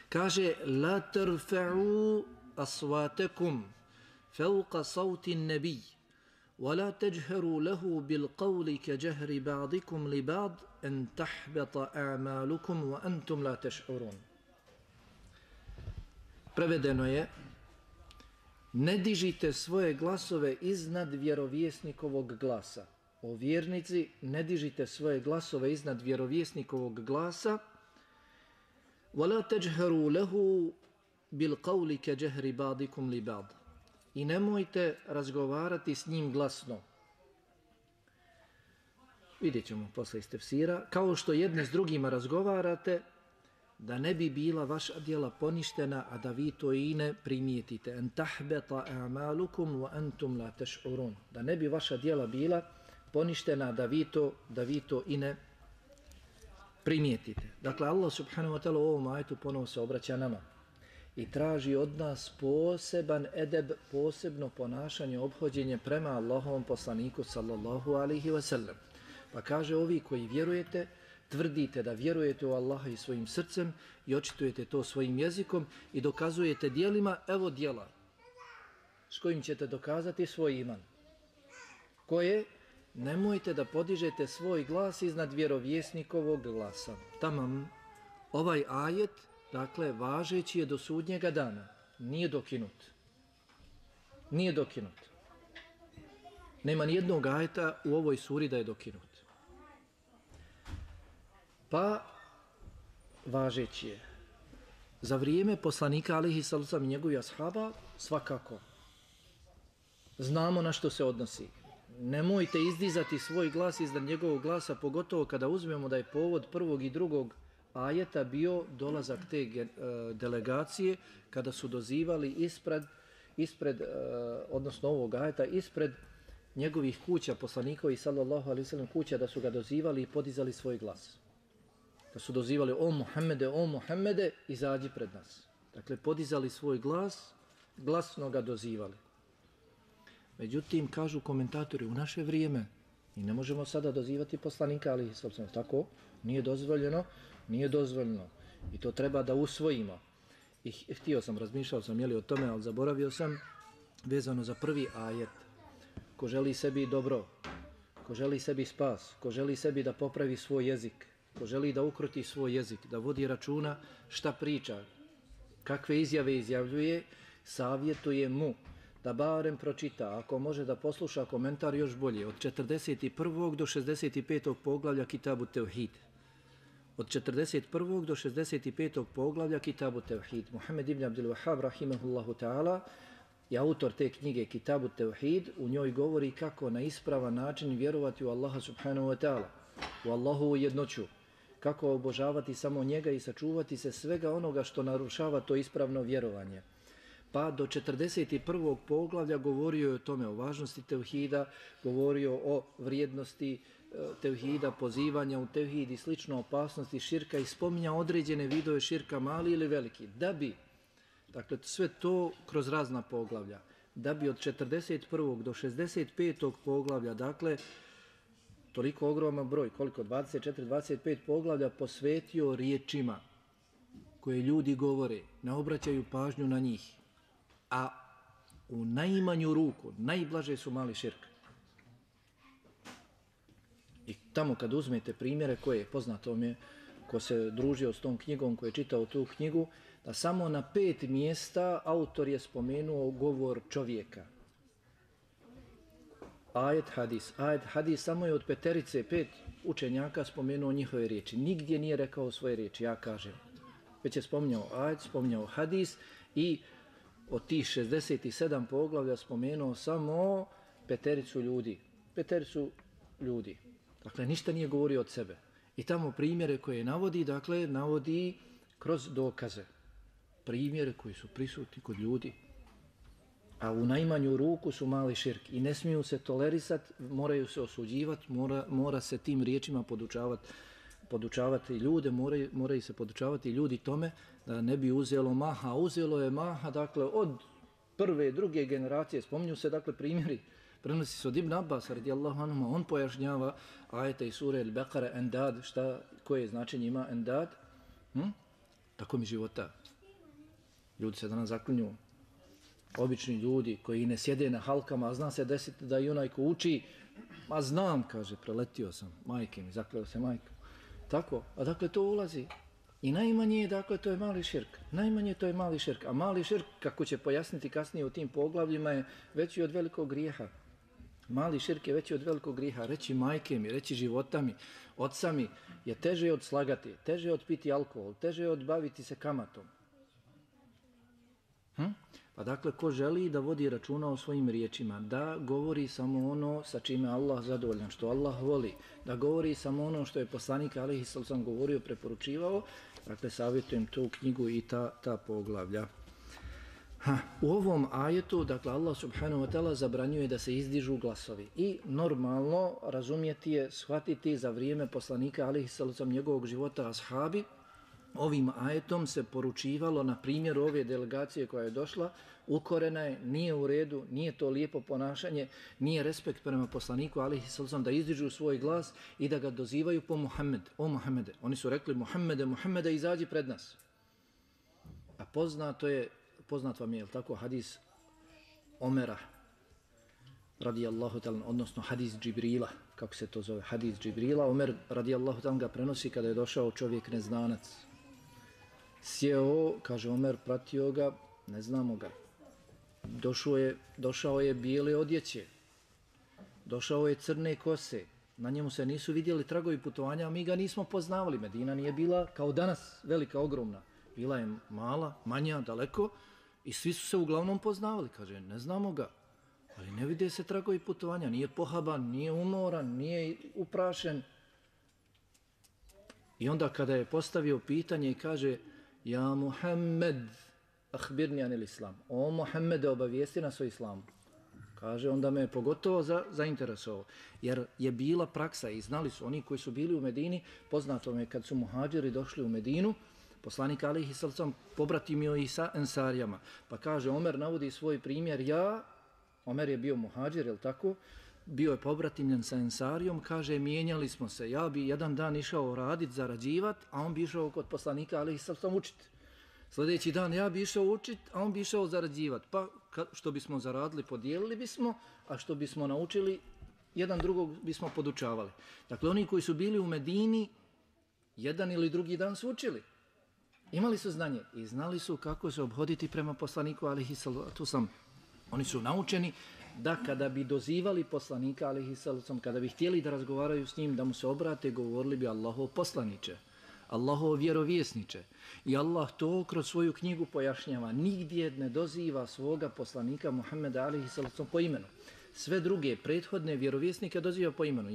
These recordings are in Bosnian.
Kaže la tarfa'u aswatakum fawqa sawti an-nabi wa la tajharu lahu bil qawli ka jahri ba'dikum li ba'd an tahbata a'malukum wa antum la tash'urun. Prevedeno je: ne dižite svoje glasove iznad vjerovjesnikovog glasa. O vjernici, ne dižite svoje glasove iznad vjerovjesnikovog glasa. وَلَا تَجْهَرُوا لَهُ بِالْقَوْلِ كَجَهْرِ بَعْضِكُمْ لِبَعْضٍ. I nemojte razgovarati s njim glasno. Vidjet ćemo posle iz tefsira. Kao što jedni s drugima razgovarate, da ne bi bila vaša djela poništena, a da vi to i ne primijetite. En tahbeta a'malukum wa antum la tash'urun. Da ne bi vaša djela bila poništena, da vi to i ne primijetite. Dakle, Allah subhanahu wa ta'ala u ovom ajetu ponovo se obraća nama i traži od nas poseban edeb, posebno ponašanje, ophođenje prema Allahovom poslaniku sallallahu alaihi wa sallam. Pa kaže: ovi koji vjerujete, tvrdite da vjerujete u Allaha i svojim srcem i očitujete to svojim jezikom i dokazujete djelima, evo djela s kojim ćete dokazati svoj iman. Koje? Nemojte da podižete svoj glas iznad vjerovjesnikovog glasa. Tamam, ovaj ajet, dakle, važeći je do sudnjega dana. Nije dokinut. Nije dokinut. Nema nijednog ajeta u ovoj suri da je dokinut. Pa, važeći je. Za vrijeme poslanika alejhi salatu vesselam i njegovih ashaba svakako. Znamo na što se odnosi. Nemojte izdizati svoj glas iznad njegovog glasa, pogotovo kada uzmemo da je povod prvog i drugog ajeta bio dolazak te delegacije, kada su dozivali ispred odnosno ovog ajeta, ispred njegovih kuća, poslanikovi sallallahu alejhi ve sellem kuća, da su ga dozivali i podizali svoj glas. Da su dozivali: o Muhammede, izađi pred nas. Dakle, podizali svoj glas, glasno ga dozivali. Međutim, kažu komentatori, u naše vrijeme i ne možemo sada dozivati poslanika, ali tako nije dozvoljeno i to treba da usvojimo. I razmišljao sam o tome, ali zaboravio sam, vezano za prvi ajet. Ko želi sebi dobro, ko želi sebi spas, ko želi sebi da popravi svoj jezik, ko želi da ukroti svoj jezik, da vodi računa šta priča, kakve izjave izjavljuje, savjetuje mu da barem pročita, ako može da posluša komentar još bolje, od 41. do 65. poglavlja Kitabu Tevhid. Od 41. do 65. poglavlja Kitabu Tevhid. Muhammed ibn Abdul Wahhab, rahimahullahu ta'ala, je autor te knjige Kitabu Tevhid. U njoj govori kako na ispravan način vjerovati u Allaha subhanahu wa ta'ala, u Allahovu jednoću, kako obožavati samo njega i sačuvati se svega onoga što narušava to ispravno vjerovanje. Pa do 41. poglavlja govorio je o tome, o važnosti tevhida, govorio o vrijednosti tevhida, pozivanja u tevhid i slično, opasnosti širka i spominja određene vidove širka, mali ili veliki. Da bi, dakle sve to kroz razna poglavlja, da bi od 41. do 65. poglavlja, dakle toliko ogroman broj, koliko, 24-25 poglavlja posvetio riječima koje ljudi govore, ne obraćaju pažnju na njih, a u najmanju ruku, najblaže su mali širk. I tamo kad uzmete primjere koje je poznato mi je, ko se družio s tom knjigom, ko je čitao tu knjigu, da samo na 5 mjesta autor je spomenuo govor čovjeka. Ajet, hadis, samo je od 5 učenjaka spomenuo njihove riječi. Nigdje nije rekao svoje riječi, ja kažem. Već je spominjao ajet, spominjao hadis i od tih 67 poglavlja spomenuo samo 5 ljudi. Dakle, ništa nije govorio od sebe. I tamo primjere koje navodi, dakle, navodi kroz dokaze. Primjere koji su prisutni kod ljudi. A u najmanju ruku su mali širk i ne smiju se tolerisati, moraju se osuđivati, mora se tim riječima podučavati ljude, moraju se podučavati ljudi tome da ne bi uzelo maha. Uzelo je maha, dakle, od prve, druge generacije, spominju se, dakle, primjeri, prenosi se od Ibn Abbas, radijallahu anhu, on pojašnjava ajete i sure Al-Baqara, endad, koje značenje ima endad? Tako mi života. Ljudi se danas zaklinju. Obični ljudi koji ne sjede na halkama, a zna se desiti da i onaj ko uči, ma znam, kaže, preletio sam, majke mi, zakleo se majkom. Tako, a dakle to ulazi. I najmanje, dakle, to je mali širk. Najmanje to je mali širk. A mali širk, kako će pojasniti kasnije u tim poglavljima, je veći od velikog grijeha. Mali širk je veći od velikog grijeha. Reći majke mi, reći života mi, oca mi je teže od slagati, teže od piti alkohol, teže od baviti se kamatom. Pa dakle, ko želi da vodi računa o svojim riječima, da govori samo ono sa čime Allah zadovoljan, što Allah voli, da govori samo ono što je poslanik alejhi sallam govorio, preporučivao, dakle, savjetujem tu knjigu i ta poglavlja. U ovom ajetu, dakle, Allah subhanahu wa ta'ala zabranjuje da se izdižu glasovi i normalno razumjeti je, shvatiti za vrijeme poslanika alejhi sallam njegovog života ashabi. Ovim ajetom se poručivalo na primjeru ove delegacije koja je došla, ukorena je, nije u redu, nije to lijepo ponašanje, nije respekt prema poslaniku alejhi sallam da izdižu svoj glas i da ga dozivaju po Muhammed. O Muhammede, oni su rekli Muhammede, Muhammede, izađi pred nas. A poznat vam je, tako, hadis Omera radijallahu ta'ala, odnosno hadis Džibrila, kako se to zove, hadis Džibrila. Omer radijallahu ta'ala ga prenosi kada je došao čovjek neznanac. Sjeo, kaže Omer, pratio ga, ne znamo ga. Došao je bijele odjeće, došao je crne kose, na njemu se nisu vidjeli tragovi putovanja, a mi ga nismo poznavali. Medina nije bila kao danas velika, ogromna. Bila je mala, manja, daleko i svi su se uglavnom poznavali. Kaže, ne znamo ga, ali ne vide se tragovi putovanja, nije pohaban, nije umoran, nije uprašen. I onda kada je postavio pitanje i kaže, ja Muhammed, ahbirni anil islam. O Muhammede, obavijesti nas o islamu. Kaže, onda me je pogotovo zainteresovao. Jer je bila praksa i znali su oni koji su bili u Medini, poznato me kad su muhađiri došli u Medinu, poslanik alejhi sallam pobratimio ih sa ensarijama. Pa kaže, Omer navodi svoj primjer, Omer je bio muhađir, je li tako? Bio je pobratimljen sa ensarijom, kaže, mijenjali smo se. Ja bi jedan dan išao radit, zarađivat, a on bi išao kod poslanika alejhi sallam učiti. Sljedeći dan ja bi išao učit, a on bi išao zarađivat. Pa što bismo zaradili, podijelili bismo, a što bismo naučili, jedan drugog bismo podučavali. Dakle, oni koji su bili u Medini, jedan ili drugi dan su učili. Imali su znanje i znali su kako se obhoditi prema poslaniku alejhi salatu vesselam. Oni su naučeni da kada bi dozivali poslanika alejhi salatu vesselam, kada bi htjeli da razgovaraju s njim, da mu se obrate, govorili bi Allahov poslaniče, Allahov vjerovjesniče. I Allah to kroz svoju knjigu pojašnjava. Nigdje ne doziva svoga poslanika Muhammeda alejhi salatu vesselam po imenu. Sve druge prethodne vjerovjesnike doziva po imenu.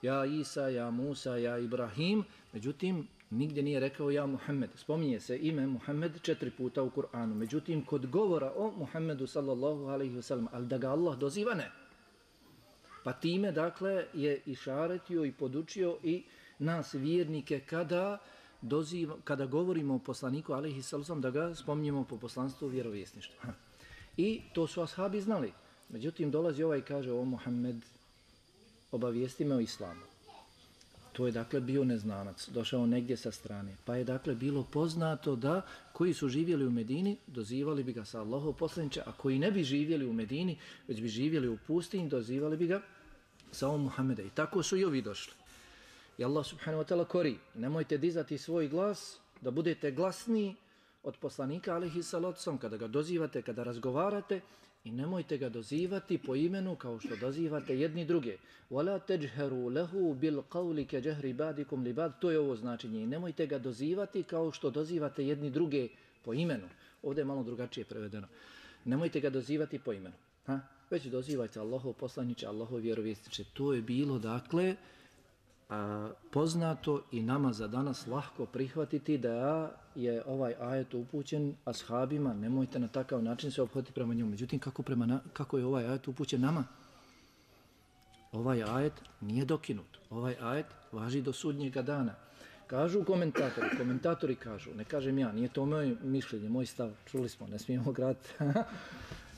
Ja Isa, ja Musa, ja Ibrahim. Međutim, nigdje nije rekao ja Muhammed. Spominje se ime Muhammed 4 puta u Kur'anu. Međutim, kod govora o Muhammedu sallallahu alaihi wasallam, ali da ga Allah doziva, ne. Pa time, dakle, je išaretio i podučio i nas vjernike kada govorimo o poslaniku alaihi sallam, da ga spominjemo po poslanstvu vjerovjesništva. I to su ashabi znali. Međutim, dolazi ovaj i kaže, o Muhammed, obavijesti me o islamu. To je dakle bio neznanac, došao negdje sa strane. Pa je dakle bilo poznato da koji su živjeli u Medini, dozivali bi ga sa Allahov poslaniče, a koji ne bi živjeli u Medini, već bi živjeli u pustinji, dozivali bi ga sa o Muhammeda. I tako su i ovi došli. I Allah subhanahu wa ta'ala kori, nemojte dizati svoj glas, da budete glasniji od poslanika alejhi salatu vesselam kada ga dozivate, kada razgovarate, i nemojte ga dozivati po imenu kao što dozivate jedni druge. Wala tajharu lahu bil qawli ka jahri ba'dikum li ba'd. To je ovo značenje. I nemojte ga dozivati kao što dozivate jedni druge po imenu. Ovdje je malo drugačije prevedeno. Nemojte ga dozivati po imenu. Već dozivajte Allahov poslaniče, Allahov vjerovjesniče. To je bilo dakle poznato i nama za danas lahko prihvatiti da je ovaj ajet upućen ashabima, nemojte na takav način se ophoditi prema njemu. Međutim, kako je ovaj ajet upućen nama? Ovaj ajet nije dokinut. Ovaj ajet važi do sudnjega dana. Kažu komentatori kažu, ne kažem ja, nije to moje mišljenje, moj stav, čuli smo, ne smijemo graditi.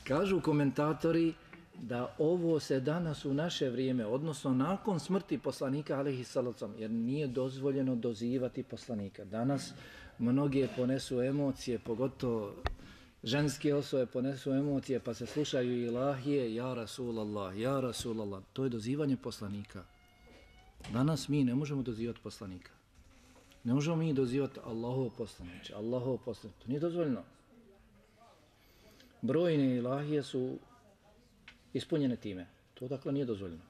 Kažu komentatori da ovo se danas u naše vrijeme, odnosno nakon smrti poslanika alejhi salatu vesselam, jer nije dozvoljeno dozivati poslanika. Danas mnoge ponesu emocije, pogotovo ženske osobe ponesu emocije pa se slušaju ilahije, ja Rasulallah, ja Rasulallah. To je dozivanje poslanika. Danas mi ne možemo dozivati poslanika. Ne možemo mi dozivati Allahov poslaniče, Allahov poslaniče. To nije dozvoljeno. Brojne ilahije su ispunjene time. To dakle nije dozvoljeno.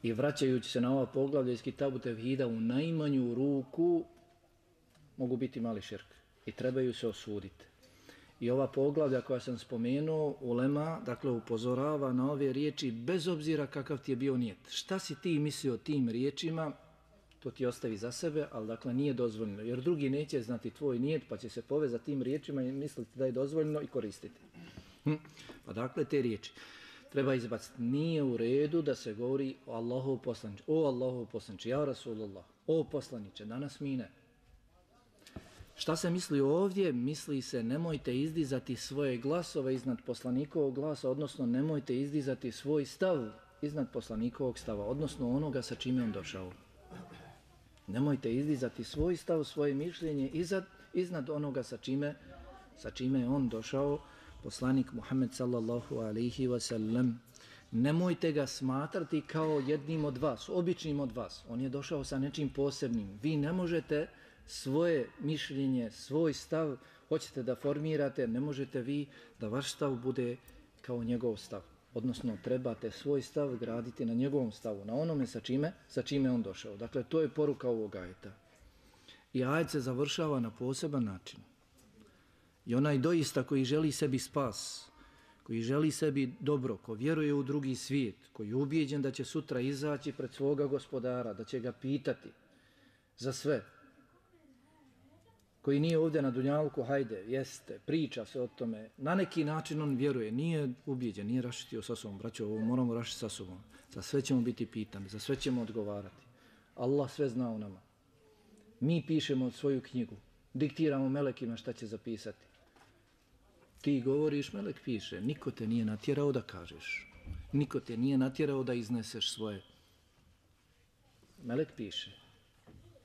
I vraćajući se na ova poglavlja iz Kitabu Tevhida, u najmanju ruku mogu biti mali širk i trebaju se osuditi. I ova poglavlja koja sam spomenuo, ulema, dakle, upozorava na ove riječi bez obzira kakav ti je bio nijet. Šta si ti mislio tim riječima, to ti ostavi za sebe, ali dakle nije dozvoljeno. Jer drugi neće znati tvoj nijet pa će se povezati tim riječima i misliti da je dozvoljeno i koristiti. Pa dakle te riječi treba izbaciti. Nije u redu da se govori o Allahov poslaniče. O Allahov poslaniče, ja Rasulullah, o poslaniče, danas mi ne. Šta se misli ovdje? Misli se nemojte izdizati svoje glasove iznad poslanikovog glasa, odnosno nemojte izdizati svoj stav iznad poslanikovog stava, odnosno onoga sa čime on došao. Nemojte izdizati svoj stav, svoje mišljenje iznad onoga sa čime je on došao, poslanik Muhammed sallallahu alaihi wa sallam. Nemojte ga smatrati kao jednim od vas, običnim od vas. On je došao sa nečim posebnim. Vi ne možete svoje mišljenje, svoj stav, hoćete da formirate, ne možete vi da vaš stav bude kao njegov stav. Odnosno, trebate svoj stav graditi na njegovom stavu, na onome sa čime on došao. Dakle, to je poruka ovog ajeta. I ajet se završava na poseban način. I onaj doista koji želi sebi spas, koji želi sebi dobro, ko vjeruje u drugi svijet, koji je ubijeđen da će sutra izaći pred svoga gospodara, da će ga pitati za sve, koji nije ovdje na dunjalku, hajde, jeste, priča se o tome, na neki način on vjeruje, nije ubijeđen, nije raščitio sa sobom, braćo, ovo moramo raščiti sa sobom, za sve ćemo biti pitani, za sve ćemo odgovarati. Allah sve zna o nama. Mi pišemo svoju knjigu, diktiramo melekima šta će zapisati. Ti govoriš, melek piše, niko te nije natjerao da kažeš, niko te nije natjerao da izneseš svoje. Melek piše.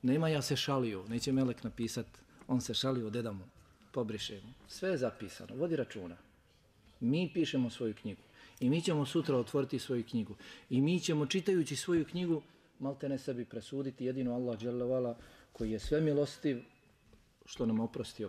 Nema ja se šalio, neće melek napisati, on se šalio, deda mu, pobriše mu. Sve je zapisano, vodi računa. Mi pišemo svoju knjigu i mi ćemo sutra otvoriti svoju knjigu i mi ćemo čitajući svoju knjigu malte ne sebi presuditi, jedino Allah dželle vala koji je sve milostiv, što nam oprosti.